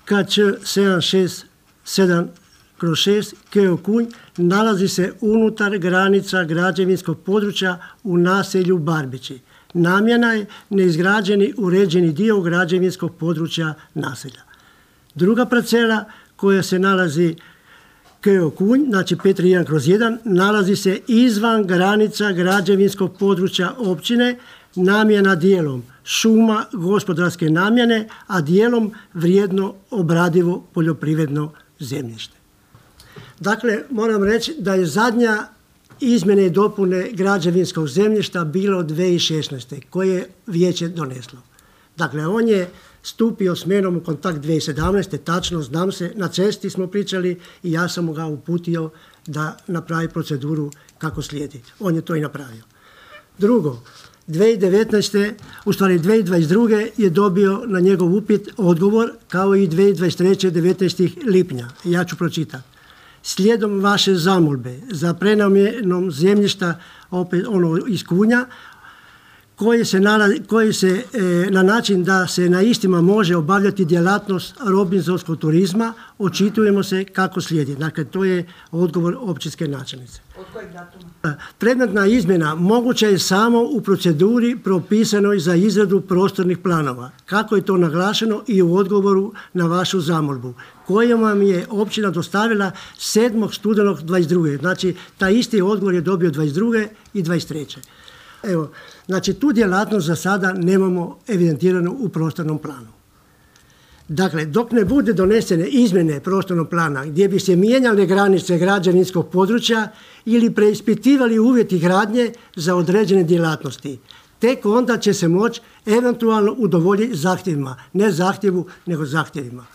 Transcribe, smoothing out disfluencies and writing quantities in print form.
KČ 767/6 Keo Kunj nalazi se unutar granica građevinskog područja u naselju Barbići. Namjena je neizgrađeni uređeni dio građevinskog područja naselja. Druga parcela koja se nalazi Keo Kunj, znači 531/1, nalazi se izvan granica građevinskog područja općine, namjena dijelom šuma gospodarske namjene, a dijelom vrijedno obradivo poljoprivredno zemljište. Dakle, moram reći da je zadnja izmjene i dopune građevinskog zemljišta bilo 2016. koje je vijeće doneslo. Dakle, on je stupio s menom u kontakt 2017. Tačno, znam se, na cesti smo pričali i ja sam ga uputio da napravi proceduru kako slijedi. On je to i napravio. Drugo, 2022. je dobio na njegov upit odgovor kao i 2023. 19. lipnja. Ja ću pročitati. Slijedom vaše zamolbe za prenamjenom zemljišta iz Kunja, koji se na način da se na istima može obavljati djelatnost robinzonskog turizma, očitujemo se kako slijedi. Dakle, to je odgovor općinske načelnice. Od kojeg datuma? Predmetna izmjena moguća je samo u proceduri propisanoj za izradu prostornih planova, kako je to naglašeno i u odgovoru na vašu zamolbu, koju vam je općina dostavila 7. studenog 22. Znači, taj isti odgovor je dobio 22. i 23. Evo, znači tu djelatnost za sada nemamo evidentiranu u prostornom planu. Dakle, dok ne bude donesene izmjene prostornog plana gdje bi se mijenjale granice građevinskog područja ili preispitivali uvjeti gradnje za određene djelatnosti, tek onda će se moći eventualno udovoljiti zahtjevima, ne zahtjevu, nego zahtjevima.